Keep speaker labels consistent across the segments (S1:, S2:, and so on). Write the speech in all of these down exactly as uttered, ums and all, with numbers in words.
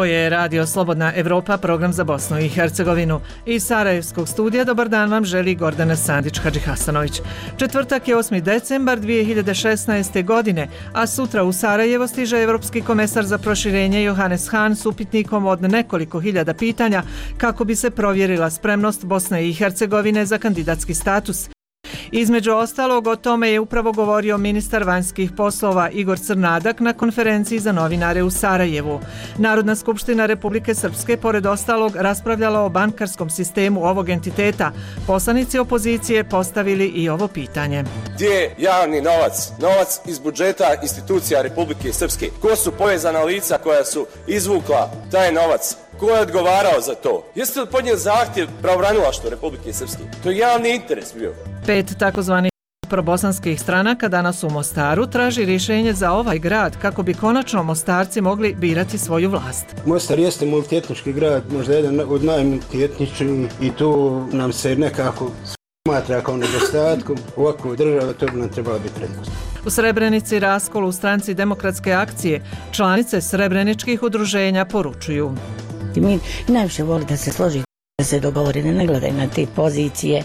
S1: je Radio Slobodna Evropa, program za Bosnu i Hercegovinu. Iz Sarajevskog studija dobar dan vam želi Gordana Sandić-Hadžihasanović. Četvrtak je osmi decembar dvije hiljade šesnaeste. godine, a sutra u Sarajevo stiže Evropski komesar za proširenje Johannes Hahn s upitnikom od nekoliko hiljada pitanja kako bi se provjerila spremnost Bosne i Hercegovine za kandidatski status. Između ostalog, o tome je upravo govorio ministar vanjskih poslova Igor Crnadak na konferenciji za novinare u Sarajevu. Narodna skupština Republike Srpske, pored ostalog, raspravljala o bankarskom sistemu ovog entiteta. Poslanici opozicije postavili i ovo pitanje.
S2: Gdje je javni novac? Novac iz budžeta institucija Republike Srpske. Ko su povezana lica koja su izvukla taj novac? Ko je odgovarao za to? Jeste li podnijeli zahtjev pravobranilaštva Republike Srpske? To je javni interes bio.
S1: Pet takozvanih probosanskih stranaka danas u Mostaru traži rješenje za ovaj grad kako bi konačno Mostarci mogli birati svoju vlast.
S3: Mostar jeste multietnički grad, možda jedan od najmultietničkih i tu nam se nekako smatra kao nedostatkom. Ovakvu državu to bi nam trebala biti prednost.
S1: U Srebrenici raskol u stranci Demokratske akcije članice srebreničkih udruženja poručuju.
S4: Mi najviše voli da se složi, da se dogovori, da ne gledaju na te pozicije,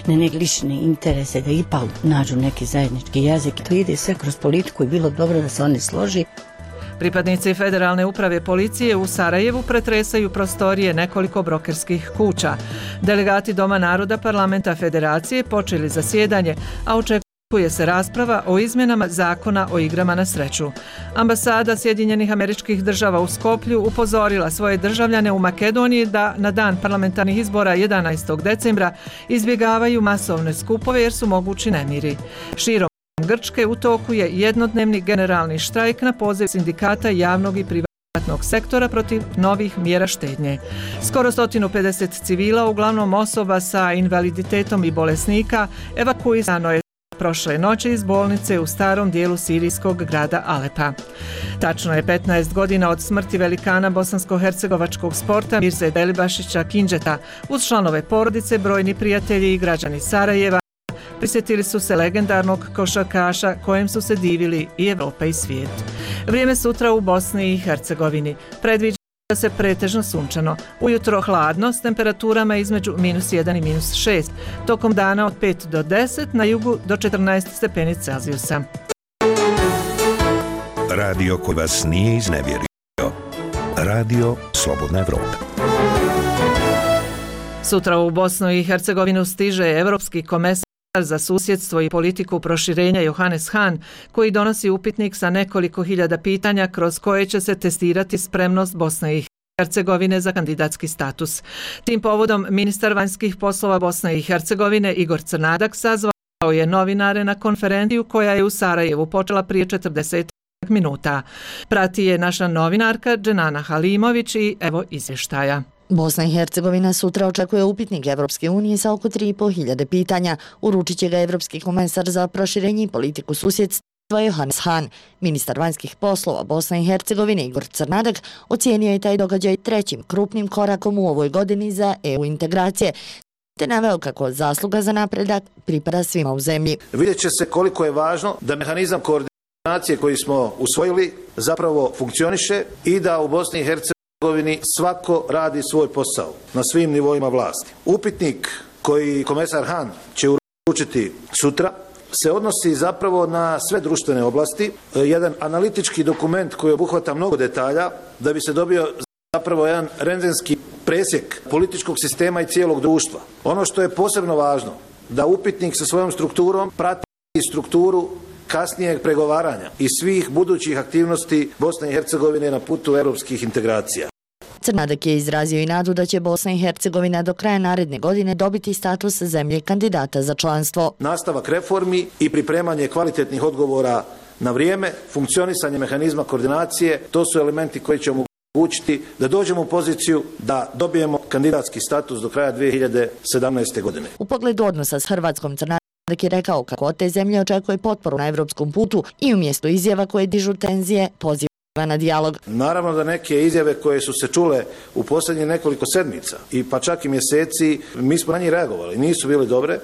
S4: na neke lične interese, da ipak nađu neki zajednički jezik. To ide sve kroz politiku i bilo dobro da se oni složi.
S1: Pripadnici Federalne uprave policije u Sarajevu pretresaju prostorije nekoliko brokerskih kuća. Delegati Doma naroda Parlamenta Federacije počeli zasjedanje, a očekuju Očekuje se rasprava o izmjenama zakona o igrama na sreću. Ambasada Sjedinjenih Američkih Država u Skoplju upozorila svoje državljane u Makedoniji da na dan parlamentarnih izbora jedanaestog decembra izbjegavaju masovne skupove jer su mogući nemiri. Širom Grčke u toku je jednodnevni generalni štrajk na poziv sindikata javnog i privatnog sektora protiv novih mjera štednje. Skoro sto pedeset civila, uglavnom osoba sa invaliditetom i bolesnika, evakuisano je prošle noći iz bolnice u starom dijelu sirijskog grada Alepa. Tačno je petnaest godina od smrti velikana bosansko-hercegovačkog sporta Mirze Delibašića Kindžeta. Uz članove porodice, brojni prijatelji i građani Sarajeva prisjetili su se legendarnog košarkaša kojem su se divili i Evropa i svijet. Vrijeme sutra u Bosni i Hercegovini predviđa da se pretežno sunčano. Ujutro hladno s temperaturama između minus jedan i minus šest. Tokom dana od pet do deset, na jugu do četrnaest stepeni Celzijusa.
S5: Radio koji vas nije iznevjerio. Radio Slobodna Evropa.
S1: Sutra u Bosnu i Hercegovinu stiže Evropski komesar za susjedstvo i politiku proširenja Johannes Hahn, koji donosi upitnik sa nekoliko hiljada pitanja kroz koje će se testirati spremnost Bosne i Hercegovine za kandidatski status. Tim povodom ministar vanjskih poslova Bosne i Hercegovine Igor Crnadak sazvao je novinare na konferenciju koja je u Sarajevu počela prije četrdeset minuta. Prati je naša novinarka Dženana Halimović i evo izvještaja.
S6: Bosna i Hercegovina sutra očekuje upitnik Evropske unije sa oko tri i po hiljade pitanja. Uručit će ga Evropski komesar za proširenje i politiku susjedstva Johannes Hahn. Ministar vanjskih poslova Bosne i Hercegovine Igor Crnadak ocijenio je taj događaj trećim krupnim korakom u ovoj godini za E U integracije, te naveo kako zasluga za napredak pripada svima u zemlji.
S7: Vidjet će se koliko je važno da mehanizam koordinacije koji smo usvojili zapravo funkcioniše i da u Bosni i Hercegovini svako radi svoj posao na svim nivoima vlasti. Upitnik koji komesar Hahn će uručiti sutra se odnosi zapravo na sve društvene oblasti, jedan analitički dokument koji obuhvata mnogo detalja da bi se dobio zapravo jedan rendgenski presjek političkog sistema i cijelog društva. Ono što je posebno važno, da upitnik sa svojom strukturom prati strukturu kasnijeg pregovaranja i svih budućih aktivnosti Bosne i Hercegovine na putu europskih integracija.
S6: Crnadak je izrazio i nadu da će Bosna i Hercegovina do kraja naredne godine dobiti status zemlje kandidata za članstvo.
S7: Nastavak reformi i pripremanje kvalitetnih odgovora na vrijeme, funkcionisanje mehanizma koordinacije, to su elementi koji će omogućiti da dođemo u poziciju da dobijemo kandidatski status do kraja dvije hiljade sedamnaeste. godine.
S6: U pogledu odnosa s Hrvatskom, Crnadak je rekao kako od te zemlje očekuje potporu na evropskom putu i umjesto izjava koje dižu tenzije poziva na dijalog.
S7: Naravno da neke izjave koje su se čule u posljednjih nekoliko sedmica i pa čak i mjeseci, mi smo na njih reagovali, nisu bile dobre,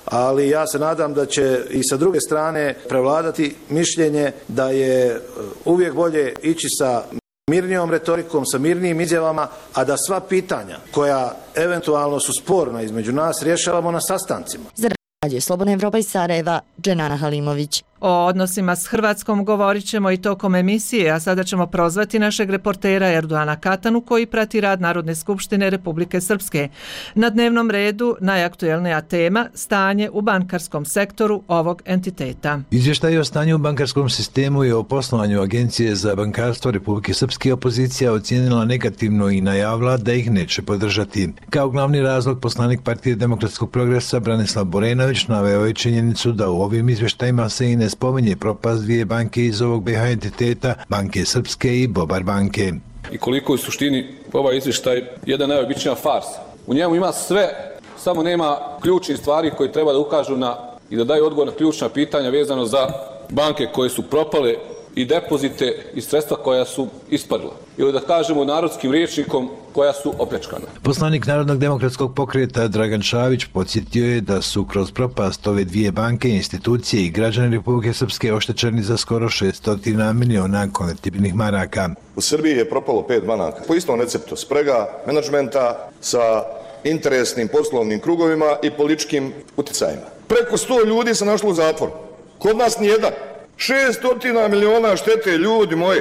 S7: ali ja se nadam da će i sa druge strane prevladati mišljenje da je uvijek bolje ići sa mirnijom retorikom, sa mirnijim izjavama, a da sva pitanja koja eventualno su sporna između nas rješavamo na sastancima.
S6: Za Radio Slobodna Evropa iz Sarajeva, Dženana Halimović.
S1: O odnosima s Hrvatskom govorit ćemo i tokom emisije, a sada ćemo prozvati našeg reportera Erdoana Katanu koji prati rad Narodne skupštine Republike Srpske. Na dnevnom redu najaktuelnija tema stanje u bankarskom sektoru ovog entiteta.
S8: Izvještaj o stanju u bankarskom sistemu i o poslovanju Agencije za bankarstvo Republike Srpske opozicija ocijenila negativno i najavila da ih neće podržati. Kao glavni razlog poslanik Partije demokratskog progresa Branislav Borenović naveo je činjenicu da u ovim izvještajima se i ne spominje propast dvije banke iz ovog B H entiteta, Banke Srpske i Bobar banke.
S9: I koliko u suštini ovaj izvještaj jedna najobičnija farsa. U njemu ima sve, samo nema ključnih stvari koje treba da ukažu na i da daju odgovor na ključna pitanja vezano za banke koje su propale i depozite i sredstva koja su ispadla. Ili da kažemo narodskim rječnikom koja su opljačkana.
S8: Poslanik Narodnog demokratskog pokreta Dragan Šavić podsjetio je da su kroz propast ove dvije banke, institucije i građani Republike Srpske oštećeni za skoro šesto miliona konvertibilnih maraka.
S10: U Srbiji je propalo pet banaka. Po istom receptu sprega menadžmenta sa interesnim poslovnim krugovima i političkim utjecajima. Preko sto ljudi se našlo u zatvoru. Kod nas nijedan. šesto miliona štete, ljudi moji.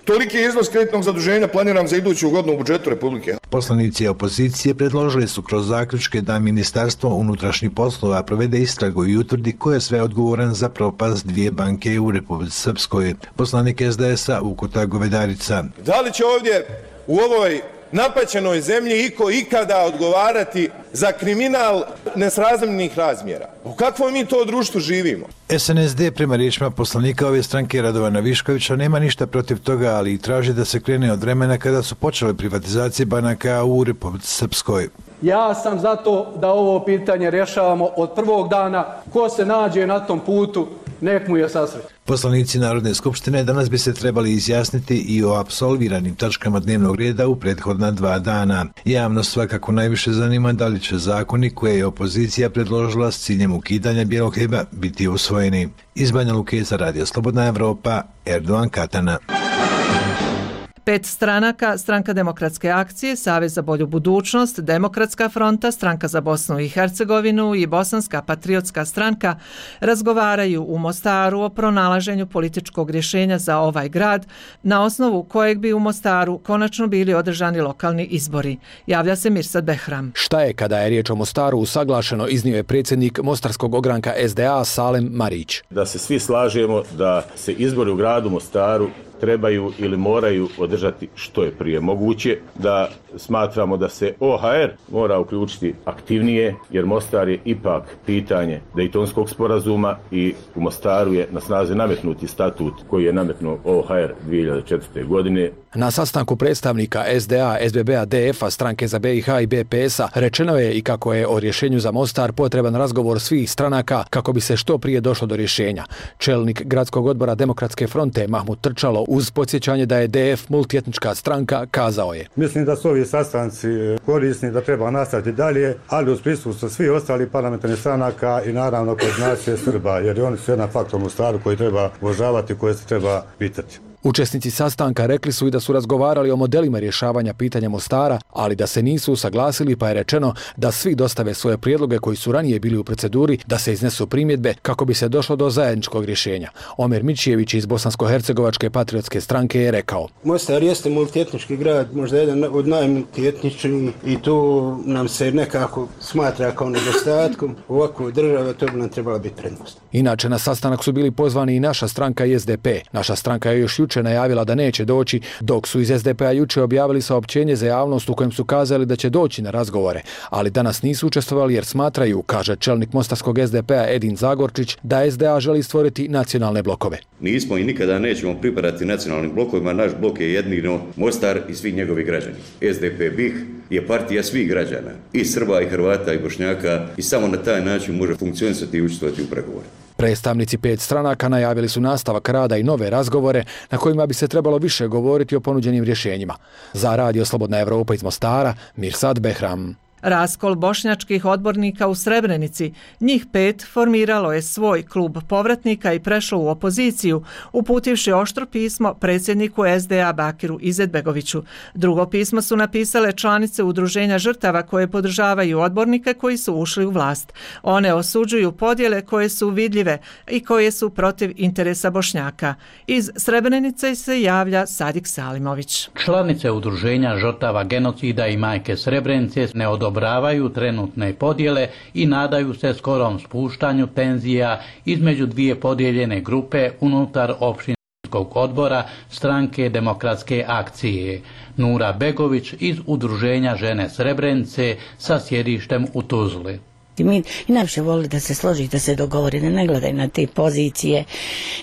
S10: Toliki iznos kreditnog zaduženja planiram za iduću godinu u budžetu Republike.
S8: Poslanici opozicije predložili su kroz zaključke da Ministarstvo unutrašnjih poslova provede istragu i utvrdi ko je sve odgovoran za propast dvije banke u Republici Srpskoj. Poslanik S D S-a Ukota Govedarica.
S11: Da li će ovdje u ovoj napaćenoj zemlji iko ikada odgovarati za kriminal nesrazmjernih razmjera? U kakvom mi to društvu živimo?
S8: S N S D prema riječima poslanika ove stranke Radovana Viškovića nema ništa protiv toga, ali i traži da se krene od vremena kada su počele privatizacije banaka u Republici Srpskoj.
S12: Ja sam zato da ovo pitanje rješavamo od prvog dana. Ko se nađe na tom putu, nek mu je sasret.
S8: Poslanici Narodne skupštine danas bi se trebali izjasniti i o apsolviranim tačkama dnevnog reda u prethodna dva dana. Javnost svakako najviše zanima da li će zakoni koje je opozicija predložila s ciljem ukidanja bijelog hljeba biti usvojeni. Iz Banja Luke za Radio Slobodna Evropa, Erdoan Katana.
S1: Pet stranaka, Stranka demokratske akcije, Savez za bolju budućnost, Demokratska fronta, Stranka za Bosnu i Hercegovinu i Bosanska patriotska stranka razgovaraju u Mostaru o pronalaženju političkog rješenja za ovaj grad, na osnovu kojeg bi u Mostaru konačno bili održani lokalni izbori. Javlja se Mirsad Behram.
S13: Šta je kada je riječ o Mostaru usaglašeno, iznio je predsjednik Mostarskog ogranka S D A Salem Marić.
S14: Da se svi slažemo da se izbori u gradu Mostaru trebaju ili moraju održati što je prije moguće, da smatramo da se O H R mora uključiti aktivnije, jer Mostar je ipak pitanje Dejtonskog sporazuma i u Mostaru je na snazi nametnuti statut koji je nametnuo O H R dvije hiljade četvrte. godine.
S13: Na sastanku predstavnika S D A, S B B-a, D F-a, Stranke za B i H i B P S-a rečeno je i kako je o rješenju za Mostar potreban razgovor svih stranaka kako bi se što prije došlo do rješenja. Čelnik Gradskog odbora Demokratske fronte Mahmud Trčalo uz podsjećanje da je D F multietnička stranka kazao je:
S15: Mislim da su ovi sastanci korisni, da treba nastaviti dalje, ali uz prisustvo svih ostalih parlamentarnih stranaka i naravno kod nacije Srba, jer oni su jedan faktor u Mostaru koji treba uvažavati, koje se treba pitati.
S13: Učesnici sastanka rekli su i da su razgovarali o modelima rješavanja pitanja Mostara, ali da se nisu usaglasili, pa je rečeno da svi dostave svoje prijedloge koji su ranije bili u proceduri, da se iznesu primjedbe kako bi se došlo do zajedničkog rješenja. Omer Mićijević iz Bosansko-hercegovačke patriotske stranke je rekao:
S3: Mostar jeste multietnički grad, možda jedan od najmultietničkih i tu nam se nekako smatra kao nedostatkom. Ovako država to bi nam trebala biti prednost.
S13: Inače, na sastanak su bili pozvani i naša stranka i S D P. Naša stranka je još juče najavila da neće doći, dok su iz S D P-a juče objavili saopćenje za javnost u kojem su kazali da će doći na razgovore, ali danas nisu učestvovali jer smatraju, kaže čelnik Mostarskog S D P-a Edin Zagorčić, da S D A želi stvoriti nacionalne blokove.
S16: Nismo i nikada nećemo pripadati nacionalnim blokovima, naš blok je jedino Mostar i svi njegovi građani. S D P B I H je partija svih građana, i Srba, i Hrvata, i Bošnjaka, i samo na taj način može funkcionisati i učestvovati u pregovore.
S13: Predstavnici pet stranaka najavili su nastavak rada i nove razgovore na kojima bi se trebalo više govoriti o ponuđenim rješenjima. Za Radio Slobodna Evropa iz Mostara, Mirsad Behram.
S1: Raskol bošnjačkih odbornika u Srebrenici. Njih pet formiralo je svoj klub povratnika i prešlo u opoziciju, uputivši oštro pismo predsjedniku S D A Bakiru Izetbegoviću. Drugo pismo su napisale članice udruženja žrtava koje podržavaju odbornike koji su ušli u vlast. One osuđuju podjele koje su vidljive i koje su protiv interesa Bošnjaka. Iz Srebrenice se javlja Sadik Salimović.
S17: Članice udruženja žrtava genocida i majke Srebrenice ne odobravaju trenutne podjele i nadaju se skorom spuštanju tenzija između dvije podijeljene grupe unutar opštinskog odbora Stranke demokratske akcije. Nura Begović iz udruženja žene Srebrenice sa sjedištem u Tuzli.
S4: I mi i najviše voli da se složi, da se dogovori, da ne gledaju na te pozicije,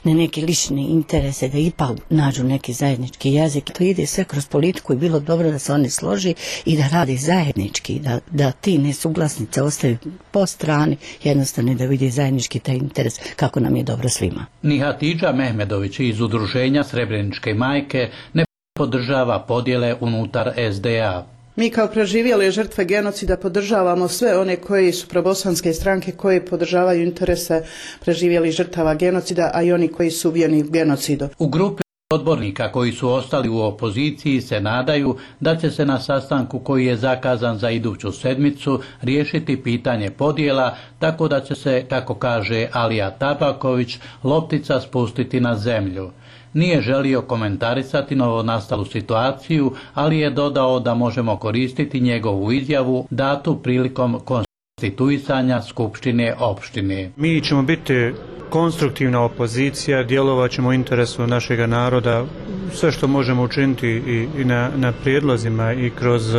S4: na neke lične interese, da ipak nađu neki zajednički jezik. To ide sve kroz politiku i bilo dobro da se oni složi i da radi zajednički, da, da ti nesuglasnice ostaju po strani, jednostavno da vidi zajednički taj interes kako nam je dobro svima.
S17: Ni Hatidža Mehmedović iz udruženja Srebreničke majke ne podržava podjele unutar S D A.
S18: Mi kao preživjele žrtve genocida podržavamo sve one koji su probosanske stranke koje podržavaju interese preživjelih žrtava genocida, a i oni koji su ubijeni u genocidu.
S17: U grupi odbornika koji su ostali u opoziciji se nadaju da će se na sastanku koji je zakazan za iduću sedmicu riješiti pitanje podjela, tako da će se, kako kaže Alija Tabaković, loptica spustiti na zemlju. Nije želio komentarisati novonastalu situaciju, ali je dodao da možemo koristiti njegovu izjavu datu prilikom konstituisanja Skupštine opštine.
S19: Mi ćemo biti konstruktivna opozicija, djelovat ćemo u interesu našega naroda, sve što možemo učiniti i, i na, na prijedlozima i kroz,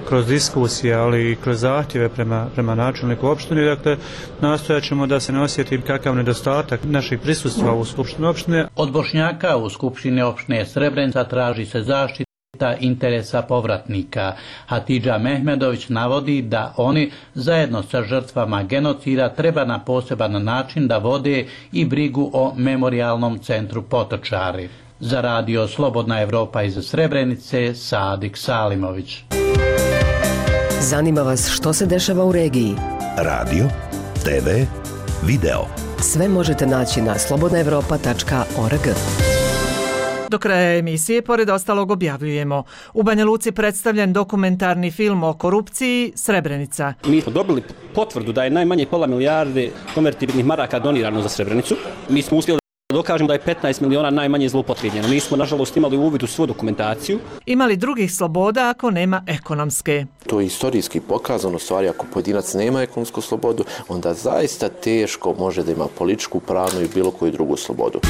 S19: kroz diskusije, ali i kroz zahtjeve prema, prema načelniku opštine. Dakle, nastojat ćemo da se ne osjeti kakav nedostatak naših prisustva u Skupštini opštine.
S17: Od Bošnjaka u Skupštini opštine Srebrenica traži se zaštita interesa povratnika. Hatidža Mehmedović navodi da oni zajedno sa žrtvama genocida treba na poseban način da vode i brigu o memorijalnom centru Potočari. Za radio Slobodna Evropa iz Srebrenice, Sadik Salimović.
S20: Zanima vas što se dešava u regiji?
S5: Radio, te ve, video.
S20: Sve možete naći na slobodna evropa tačka org.
S1: Do kraja emisije, pored ostalog, objavljujemo. U Banja Luci predstavljen dokumentarni film o korupciji Srebrenica.
S21: Mi smo dobili potvrdu da je najmanje pola milijarde konvertibilnih maraka donirano za Srebrenicu. Mi smo uspjeli da dokažemo da je petnaest miliona najmanje zloupotrijebljeno. Nismo, nažalost, imali uvid u svu dokumentaciju.
S1: Ima li drugih sloboda ako nema ekonomske?
S22: To je istorijski pokazano, stvari, ako pojedinac nema ekonomsku slobodu, onda zaista teško može da ima političku, pravnu i bilo koju drugu slobodu.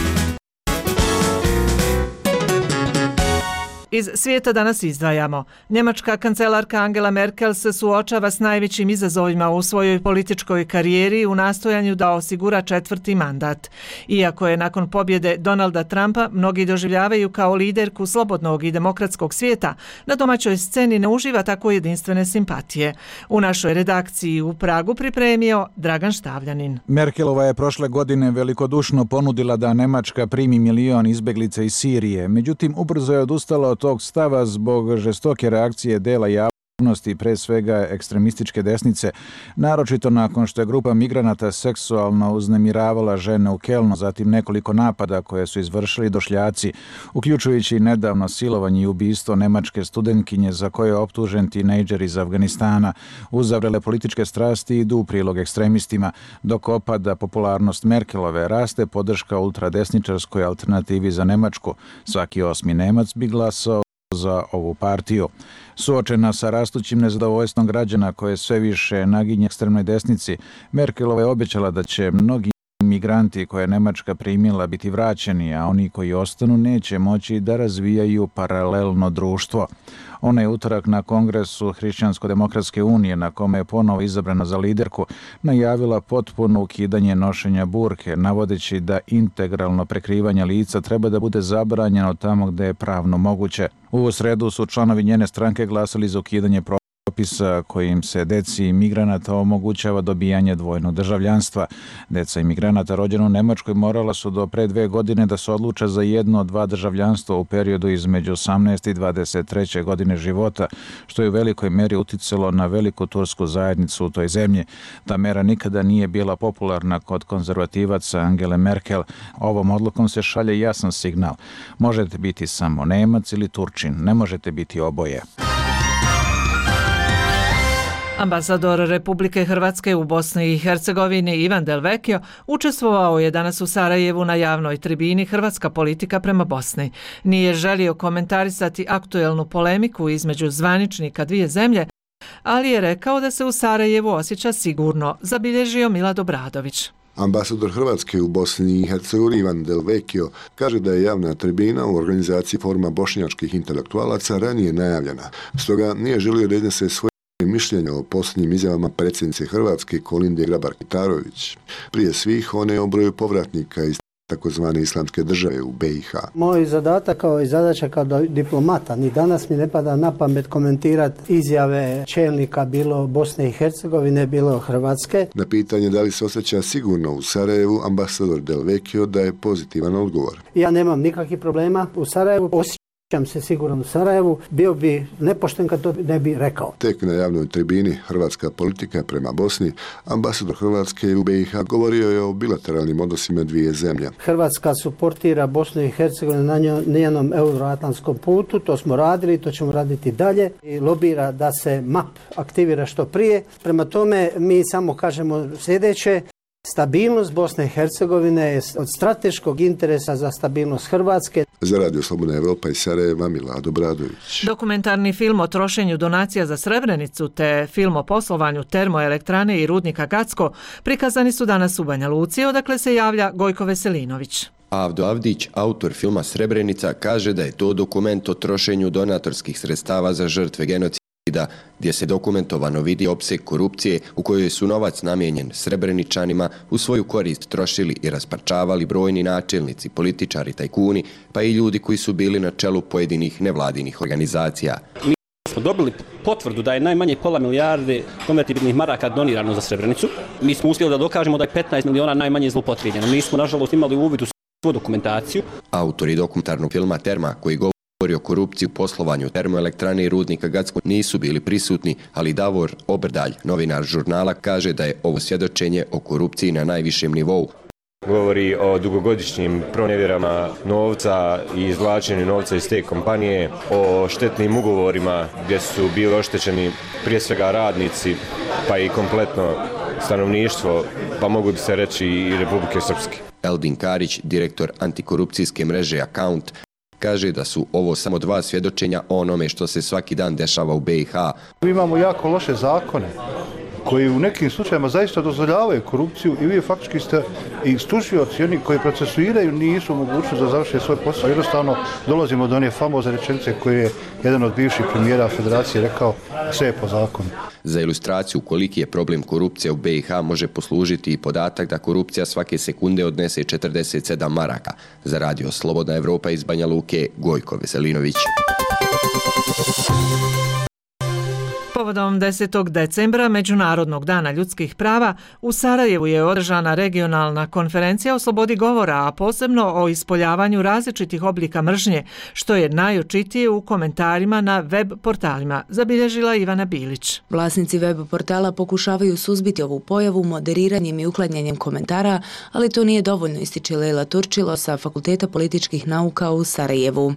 S1: Iz svijeta danas izdvajamo. Njemačka kancelarka Angela Merkel se suočava s najvećim izazovima u svojoj političkoj karijeri u nastojanju da osigura četvrti mandat. Iako je nakon pobjede Donalda Trumpa mnogi doživljavaju kao liderku slobodnog i demokratskog svijeta, na domaćoj sceni ne uživa tako jedinstvene simpatije. U našoj redakciji u Pragu pripremio Dragan Štavljanin.
S23: Merkelova je prošle godine velikodušno ponudila da Nemačka primi milion izbeglica iz Sirije, međutim ubrzo je odustala od tog stava zbog žestoke reakcije dela javnosti, pre svega ekstremističke desnice, naročito nakon što je grupa migranata seksualno uznemiravala žene u Kelnu, zatim nekoliko napada koje su izvršili došljaci, uključujući nedavno silovanje i ubistvo nemačke studentkinje za koje je optužen tinejdžer iz Afganistana. Uzavrele političke strasti idu u prilog ekstremistima, dok opada popularnost Merkelove, raste podrška ultradesničarskoj alternativi za Nemačku. Svaki osmi Nemac bi glasao za ovu partiju. Suočena sa rastućim nezadovoljstvom građana koje sve više naginje ekstremnoj desnici, Merkelova je obećala da će mnogi migranti koje je Nemačka primila biti vraćeni, a oni koji ostanu neće moći da razvijaju paralelno društvo. Ona je utorak na kongresu Hrišćansko-demokratske unije, na kome je ponovo izabrana za liderku, najavila potpuno ukidanje nošenja burke, navodeći da integralno prekrivanje lica treba da bude zabranjeno tamo gde je pravno moguće. U sredu su članovi njene stranke glasali za ukidanje propisa kojim se deci migranata omogućava dobijanje dvojnog državljanstva. Deca imigranata rođena u Nemačkoj morala su do pre dve godine da se odluče za jedno od dva državljanstva u periodu između osamnaeste i dvadeset treće godine života, što je u velikoj meri uticalo na veliku tursku zajednicu u toj zemlji. Ta mera nikada nije bila popularna kod konzervativaca Angele Merkel. Ovom odlukom se šalje jasan signal. Možete biti samo Nemac ili Turčin, ne možete biti oboje.
S1: Ambasador Republike Hrvatske u Bosni i Hercegovini Ivan Del Vecchio učestvovao je danas u Sarajevu na javnoj tribini Hrvatska politika prema Bosni. Nije želio komentarisati aktuelnu polemiku između zvaničnika dvije zemlje, ali je rekao da se u Sarajevu osjeća sigurno, zabilježio Milad Obradović.
S2: Ambasador Hrvatske u Bosni i Hercegovini Ivan Del Vecchio kaže da je javna tribina u organizaciji Foruma bošnjačkih intelektualaca ranije najavljena. Stoga nije želio da iznese svoje mišljenja o posljednjim izjavama predsjednice Hrvatske Kolinde Grabar-Kitarović. Prije svih one o broju povratnika iz takozvane islamske države u B i H.
S6: Moj zadatak kao i zadaća kao diplomata, ni danas mi ne pada na pamet komentirati izjave čelnika bilo Bosne i Hercegovine, bilo Hrvatske.
S2: Na pitanje da li se osjeća sigurno u Sarajevu, ambasador Del Vecchio daje pozitivan odgovor.
S6: Ja nemam nikakvih problema u Sarajevu, osjećam se sigurno u Sarajevu, bio bi nepošten kad to ne bi rekao.
S2: Tek na javnoj tribini Hrvatska politika prema Bosni, ambasador Hrvatske u B i H govorio je o bilateralnim odnosima dvije zemlje.
S6: Hrvatska suportira Bosnu i Hercegovinu na njenom euroatlantskom putu, to smo radili, to ćemo raditi dalje i lobira da se M A P aktivira što prije. Prema tome mi samo kažemo sljedeće. Stabilnost Bosne i Hercegovine je od strateškog interesa za stabilnost Hrvatske.
S2: Za Radio Slobodna Evropa iz Sarajeva Milad Obradović.
S1: Dokumentarni film o trošenju donacija za Srebrenicu te film o poslovanju termoelektrane i rudnika Gacko prikazani su danas u Banja Luci, odakle se javlja Gojko Veselinović.
S7: Avdo Avdić, autor filma Srebrenica, kaže da je to dokument o trošenju donatorskih sredstava za žrtve genocida, gdje se dokumentovano vidi opseg korupcije u kojoj su novac namijenjen Srebreničanima u svoju korist trošili i rasparčavali brojni načelnici, političari, tajkuni, pa i ljudi koji su bili na čelu pojedinih nevladinih organizacija.
S21: Mi smo dobili potvrdu da je najmanje pola milijarde konvertibilnih maraka donirano za Srebrenicu. Mi smo uspjeli da dokažemo da je petnaest miliona najmanje zloupotrijebljeno. Mi smo nažalost imali uvid u svu dokumentaciju.
S7: Autori dokumentarnog filma Terma, koji govori o korupciji u poslovanju termoelektrane i rudnika Gacko, nisu bili prisutni, ali Davor Obrdalj, novinar žurnala, kaže da je ovo svjedočenje o korupciji na najvišem nivou.
S24: Govori o dugogodišnjim pronevjerama novca i izvlačenju novca iz te kompanije, o štetnim ugovorima gdje su bili oštećeni prije svega radnici, pa i kompletno stanovništvo, pa mogu bi se reći i Republike Srpske.
S7: Eldin Karić, direktor antikorupcijske mreže Account, kaže da su ovo samo dva svjedočenja o onome što se svaki dan dešava u B i H.
S25: Mi imamo jako loše zakone koji u nekim slučajima zaista dozvoljavaju korupciju i vi faktički ste i tužioci, oni koji procesuiraju nisu mogućni da završe svoj posao. Jednostavno dolazimo do one famozne rečenice koje je jedan od bivših premijera Federacije rekao, sve je po zakonu.
S7: Za ilustraciju koliki je problem korupcije u B i H može poslužiti i podatak da korupcija svake sekunde odnese četrdeset sedam maraka. Za Radio Slobodna Evropa iz Banja Luke, Gojko Veselinović.
S1: Povodom desetog decembra, Međunarodnog dana ljudskih prava, u Sarajevu je održana regionalna konferencija o slobodi govora, a posebno o ispoljavanju različitih oblika mržnje, što je najočitije u komentarima na web portalima, zabilježila Ivana Bilić.
S26: Vlasnici web portala pokušavaju suzbiti ovu pojavu moderiranjem i uklanjanjem komentara, ali to nije dovoljno, ističe Lejla Turčilo sa Fakulteta političkih nauka u Sarajevu.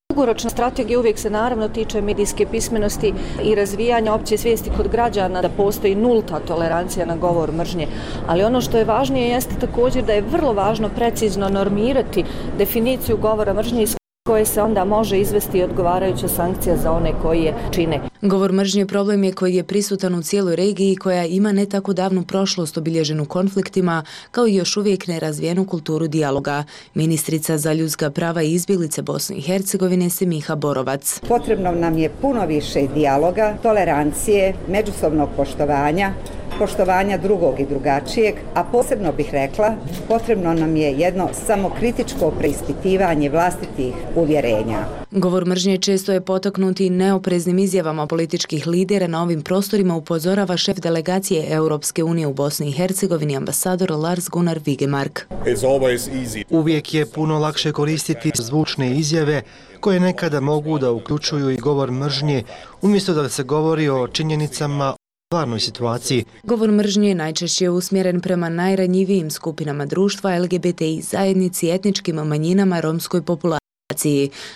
S27: Dugoročna strategija uvijek se naravno tiče medijske pismenosti i razvijanja opće svijesti kod građana da postoji nulta tolerancija na govor mržnje. Ali ono što je važnije jeste također da je vrlo važno precizno normirati definiciju govora mržnje iz koje se onda može izvesti odgovarajuća sankcija za one koji je čine.
S26: Govor mržnje problem je koji je prisutan u cijeloj regiji koja ima ne tako davnu prošlost obilježenu konfliktima, kao i još uvijek nerazvijenu kulturu dijaloga. Ministrica za ljudska prava i izbjeglice Bosne i Hercegovine Semiha Borovac.
S28: Potrebno nam je puno više dijaloga, tolerancije, međusobnog poštovanja,
S8: poštovanja drugog i drugačijeg, a posebno bih rekla, potrebno nam je jedno samokritičko preispitivanje vlastitih uvjerenja.
S26: Govor mržnje često je potaknut i neopreznim izjavama političkih lidera na ovim prostorima, upozorava šef delegacije Europske unije u Bosni i Hercegovini, ambasador Lars Gunnar Vigemark.
S9: Uvijek je puno lakše koristiti zvučne izjave koje nekada mogu da uključuju i govor mržnje, umjesto da se govori o činjenicama, stvarnoj situaciji.
S26: Govor mržnje najčešće je usmjeren prema najranjivijim skupinama društva, L G B T I zajednici, etničkim manjinama, romskoj populaciji.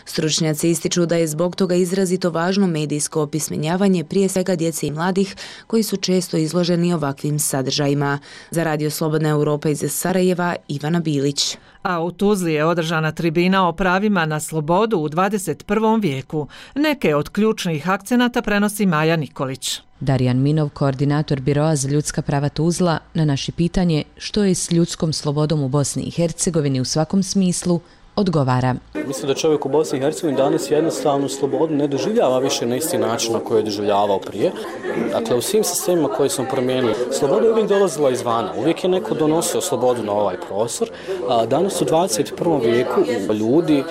S26: Stručnjaci ističu da je zbog toga izrazito važno medijsko opismenjavanje prije svega djece i mladih koji su često izloženi ovakvim sadržajima. Za Radio Slobodna Europa iz Sarajeva, Ivana Bilić.
S1: A u Tuzli je održana tribina o pravima na slobodu u dvadeset prvom vijeku. Neke od ključnih akcenata prenosi Maja Nikolić.
S10: Darijan Minov, koordinator Biroa za ljudska prava Tuzla, na naše pitanje što je s ljudskom slobodom u Bosni i Hercegovini u svakom smislu, odgovara.
S11: Mislim da čovjek u Bosni i Hercegovini danas jednostavnu slobodu ne doživljava više na isti način na koji je doživljavao prije. Dakle, u svim sistemima koje smo promijenili, sloboda je uvijek dolazila izvana. Uvijek je neko donosio slobodu na ovaj prostor. Danas u dvadeset prvom vijeku ljudi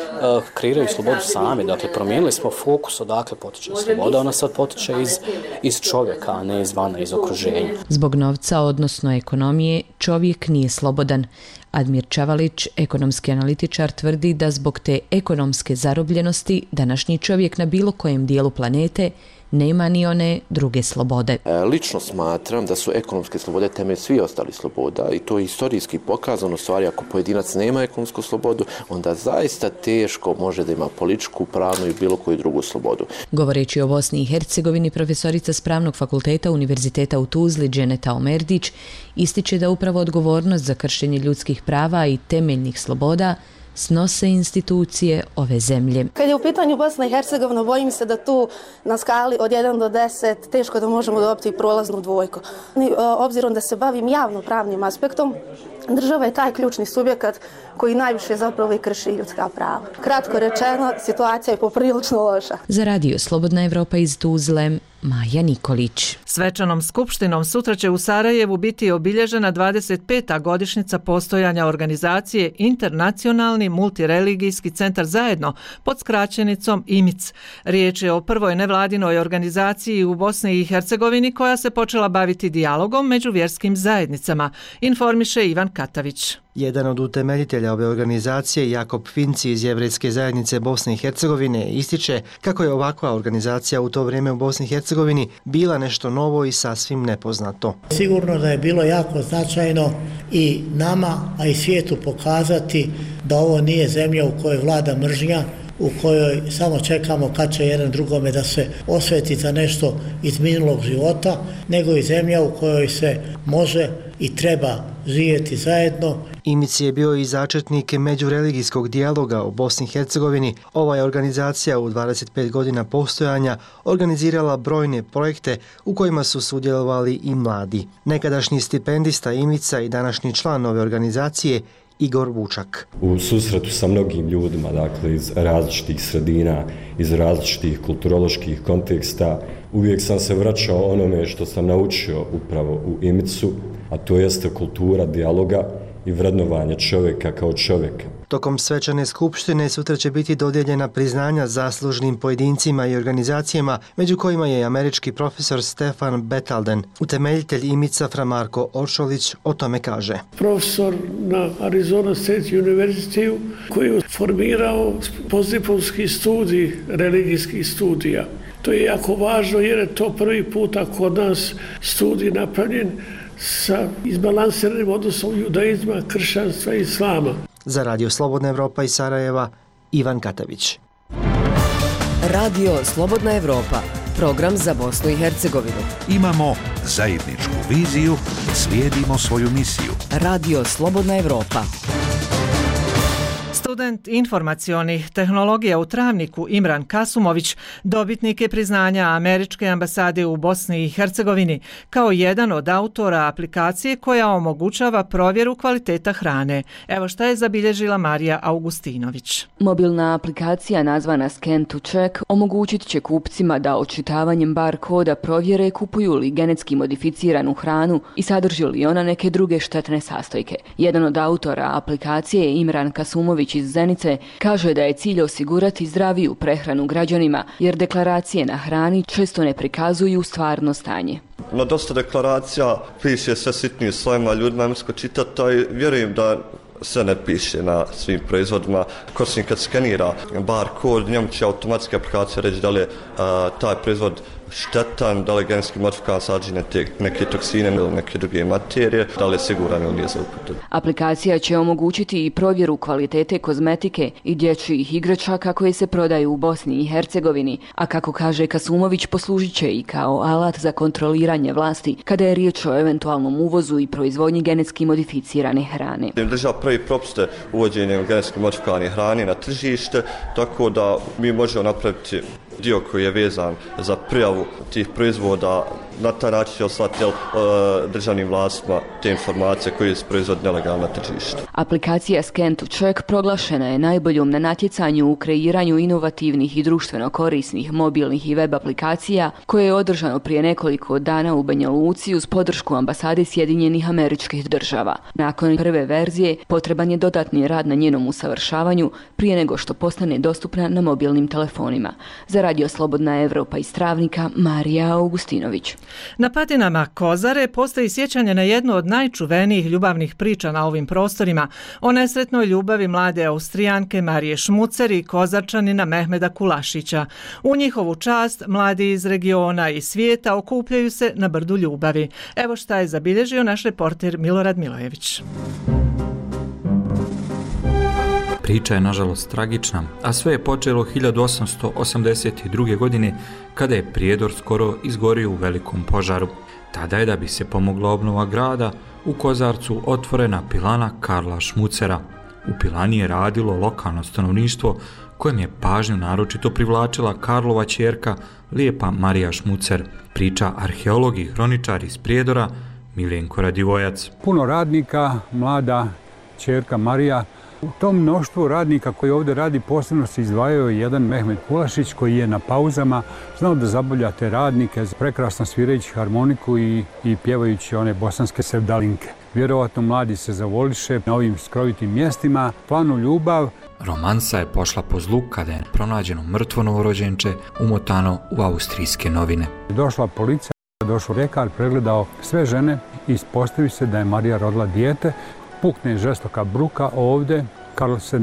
S11: kreiraju slobodu sami. Dakle, promijenili smo fokus odakle potiče sloboda. Ona sad potiče iz, iz čovjeka, a ne izvana, iz okruženja.
S10: Zbog novca, odnosno ekonomije, čovjek nije slobodan. Admir Čavalić, ekonomski analitičar, tvrdi da zbog te ekonomske zarobljenosti današnji čovjek na bilo kojem dijelu planete nema ni one druge slobode.
S22: Lično smatram da su ekonomske slobode temelj svih ostalih sloboda i to je historijski pokazano. Stvari, ako pojedinac nema ekonomsku slobodu, onda zaista teško može da ima političku, pravnu i bilo koju drugu slobodu.
S10: Govoreći o Bosni i Hercegovini, profesorica s Pravnog fakulteta Univerziteta u Tuzli, Dženeta Omerdić, ističe da upravo odgovornost za kršenje ljudskih prava i temeljnih sloboda snose institucije ove zemlje.
S12: Kad je u pitanju Bosna i Hercegovina, bojim se da tu na skali od jedan do deset teško da možemo dobiti prolaznu dvojku. Obzirom da se bavim javno-pravnim aspektom, država je taj ključni subjekat koji najviše zapravo i krši ljudska prava. Kratko rečeno, situacija je poprilično loša.
S10: Za Radio Slobodna Evropa iz Tuzle, Maja Nikolić.
S1: Svečanom skupštinom sutra će u Sarajevu biti obilježena dvadeset peta godišnjica postojanja organizacije Internacionalni multireligijski centar zajedno pod skraćenicom I M I C. Riječ je o prvoj nevladinoj organizaciji u Bosni i Hercegovini koja se počela baviti dijalogom među vjerskim zajednicama, informiše Ivan Katavić.
S9: Jedan od utemeljitelja ove organizacije, Jakob Finci iz Jevrejske zajednice Bosne i Hercegovine, ističe kako je ovakva organizacija u to vrijeme u Bosni i Hercegovini bila nešto novo i sasvim nepoznato.
S14: Sigurno da je bilo jako značajno i nama, a i svijetu pokazati da ovo nije zemlja u kojoj vlada mržnja, u kojoj samo čekamo kad će jedan drugome da se osveti za nešto iz minulog života, nego i zemlja u kojoj se može i treba živjeti zajedno.
S9: I M I C je bio i začetnik međureligijskog dijaloga u Bosni i Hercegovini. Ova je organizacija u dvadeset pet godina postojanja organizirala brojne projekte u kojima su sudjelovali i mladi. Nekadašnji stipendista I M I C-a i današnji član ove organizacije Igor Vučak.
S15: U susretu sa mnogim ljudima, dakle iz različitih sredina, iz različitih kulturoloških konteksta, uvijek sam se vraćao onome što sam naučio upravo u I M I C-u, a to jeste kultura dijaloga i vrednovanje čovjeka kao čovjeka.
S9: Tokom svečane skupštine sutra će biti dodijeljena priznanja zaslužnim pojedincima i organizacijama, među kojima je američki profesor Stefan Betalden. Utemeljitelj I M I C-a Fra Marko Oršolić o tome kaže.
S28: Profesor na Arizona State University koji je formirao postdiplomski studij religijskih studija. To je jako važno jer je to prvi puta kod nas studij napravljen sa izbalansiranim odnosom judaizma, kršćanstva i islama.
S9: Za Radio Slobodna Evropa iz Sarajeva, Ivan Katavić.
S20: Radio Slobodna Evropa, program za Bosnu i Hercegovinu.
S5: Imamo zajedničku viziju, slijedimo svoju misiju.
S20: Radio Slobodna Evropa.
S1: Student informacionih tehnologija u Travniku Imran Kasumović dobitnik je priznanja Američke ambasade u Bosni i Hercegovini kao jedan od autora aplikacije koja omogućava provjeru kvaliteta hrane. Evo šta je zabilježila Marija Augustinović.
S3: Mobilna aplikacija nazvana Scan to Check omogućit će kupcima da očitavanjem bar koda provjere kupuju li genetski modificiranu hranu i sadrži li ona neke druge štetne sastojke. Jedan od autora aplikacije Imran Kasumović iz Zenice kaže da je cilj osigurati zdraviju prehranu građanima jer deklaracije na hrani često ne prikazuju stvarno stanje.
S4: Na dosta deklaracija piše sve sitnije slovima, ljudima je mrsko čitati, a vjerujem da sve ne piše na svim proizvodima. Korisnik kad skenira bar kod, njemu će automatska aplikacija reći da li je a, taj proizvod štetan, da li je genetski modifikovan, sadrži neke toksine ili neke druge materije, da li je siguran ili nije za upotrebu.
S3: Aplikacija će omogućiti i provjeru kvalitete kozmetike i dječjih igračaka koje se prodaju u Bosni i Hercegovini, a kako kaže Kasumović, poslužit će i kao alat za kontroliranje vlasti kada je riječ o eventualnom uvozu i proizvodnji genetski modificirane hrane.
S4: Država prvi propuste uvođenjem genetski modifikovane hrane na tržište, tako da mi možemo napraviti dio koji je vezan za prijavu tih proizvoda, na taj način će oslati uh, državnim vlastima te informacije koje se proizvode nelegalno na tržištu.
S3: Aplikacija Scan to Check proglašena je najboljom na natjecanju u kreiranju inovativnih i društveno korisnih mobilnih i web aplikacija koje je održano prije nekoliko dana u Banja Luci uz podršku ambasade Sjedinjenih Američkih Država. Nakon prve verzije potreban je dodatni rad na njenom usavršavanju prije nego što postane dostupna na mobilnim telefonima. Za Radio Slobodna Evropa iz Travnika, Marija Augustinović.
S1: Na patinama Kozare postoji sjećanje na jednu od najčuvenijih ljubavnih priča na ovim prostorima, o nesretnoj ljubavi mlade Austrijanke Marije Šmucer i Kozarčanina Mehmeda Kulašića. U njihovu čast mladi iz regiona i svijeta okupljaju se na brdu ljubavi. Evo šta je zabilježio naš reporter Milorad Milojević.
S13: Priča je nažalost tragična, a sve je počelo hiljadu osamsto osamdeset druge. godine kada je Prijedor skoro izgorio u velikom požaru. Tada je, da bi se pomogla obnova grada, u Kozarcu otvorena pilana Karla Šmucera. U pilani je radilo lokalno stanovništvo kojem je pažnju naročito privlačila Karlova ćerka lijepa Marija Šmucer, priča arheolog i hroničar iz Prijedora Miljenko Radivojac.
S16: Puno radnika, mlada ćerka Marija. U tom mnoštvu radnika koji ovdje radi posebno se izdvajao jedan Mehmed Kulašić koji je na pauzama znao da zabavlja te radnike, prekrasno svirajući harmoniku i, i pjevajući one bosanske sevdalinke. Vjerovatno mladi se zavoliše na ovim skrovitim mjestima, planu ljubav.
S13: Romansa je pošla po zlu kada je pronađeno mrtvo novorođenče umotano u austrijske novine.
S16: Došla policija, došao ljekar, pregledao sve žene i ispostavi se da je Marija rodila dijete. Pukne žestoka bruka ovdje, Karl se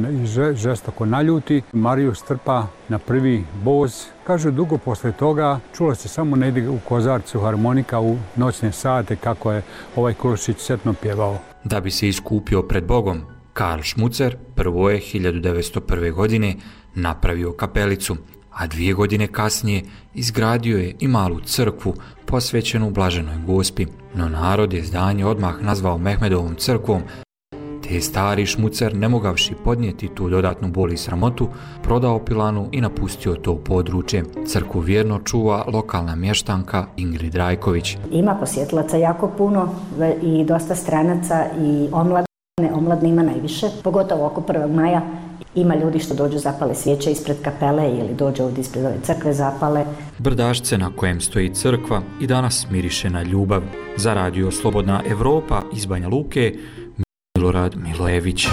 S16: žestoko naljuti, Mariju strpa na prvi voz. Kaže, dugo posle toga čulo se samo negdje u Kozarcu harmonika u noćne sate kako je ovaj Kulašić setno pjevao.
S13: Da bi se iskupio pred Bogom, Karl Šmucer prvo je hiljadu devetsto prve. godine napravio kapelicu, a dvije godine kasnije izgradio je i malu crkvu posvećenu Blaženoj Gospi. No narod je zdanje odmah nazvao Mehmedovom crkvom, te je stari Šmucer, ne mogavši podnijeti tu dodatnu bol i sramotu, prodao pilanu i napustio to područje. Crkvu vjerno čuva lokalna mještanka Ingrid Rajković.
S17: Ima posjetilaca jako puno i dosta stranaca i omladne, omladne ima najviše, pogotovo oko prvog maja. Ima ljudi što dođu zapale svijeće ispred kapele ili dođu ovdje ispred ove crkve zapale.
S13: Brdašce na kojem stoji crkva i danas miriše na ljubav. Za Radio Slobodna Evropa iz Banja Luke, Milorad Milojević.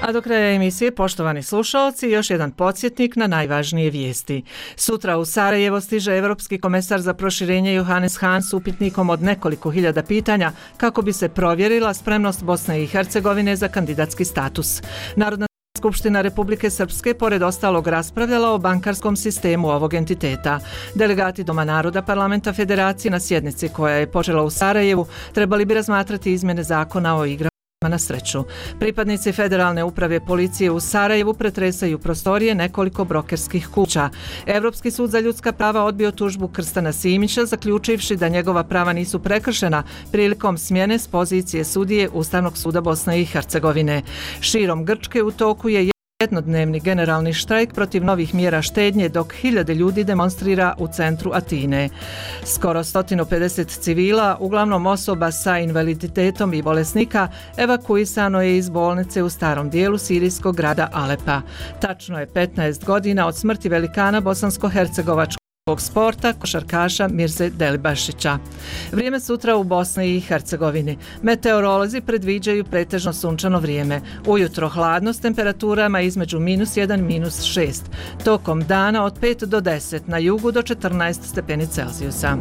S1: A do kraja emisije, poštovani slušalci, još jedan podsjetnik na najvažnije vijesti. Sutra u Sarajevo stiže Evropski komesar za proširenje Johannes Hahn s upitnikom od nekoliko hiljada pitanja kako bi se provjerila spremnost Bosne i Hercegovine za kandidatski status. Narodna Skupština Republike Srpske pored ostalog raspravljala o bankarskom sistemu ovog entiteta. Delegati Doma naroda Parlamenta Federacije na sjednici koja je počela u Sarajevu trebali bi razmatrati izmjene zakona o igrama na sreću. Pripadnici Federalne uprave policije u Sarajevu pretresaju prostorije nekoliko brokerskih kuća. Evropski sud za ljudska prava odbio tužbu Krstana Simića, zaključivši da njegova prava nisu prekršena prilikom smjene s pozicije sudije Ustavnog suda Bosne i Hercegovine. Širom Grčke u toku je jednodnevni generalni štrajk protiv novih mjera štednje, dok hiljade ljudi demonstrira u centru Atine. Skoro sto pedeset civila, uglavnom osoba sa invaliditetom i bolesnika, evakuisano je iz bolnice u starom dijelu sirijskog grada Alepa. Tačno je petnaest godina od smrti velikana bosansko-hercegovačkog sporta, košarkaša Mirze Delibašića. Vrijeme sutra u Bosni i Hercegovini. Meteorolozi predviđaju pretežno sunčano vrijeme. Ujutro hladno s temperaturama između minus jedan, minus šest. Tokom dana od pet do deset, na jugu do četrnaest stepeni Celzijusa.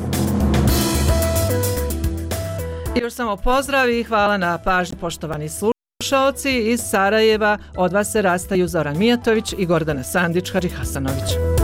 S1: I još samo pozdrav i hvala na pažnji, poštovani slušaoci. Iz Sarajeva od vas se rastaju Zoran Mijatović i Gordana Sandić-Harihasanović.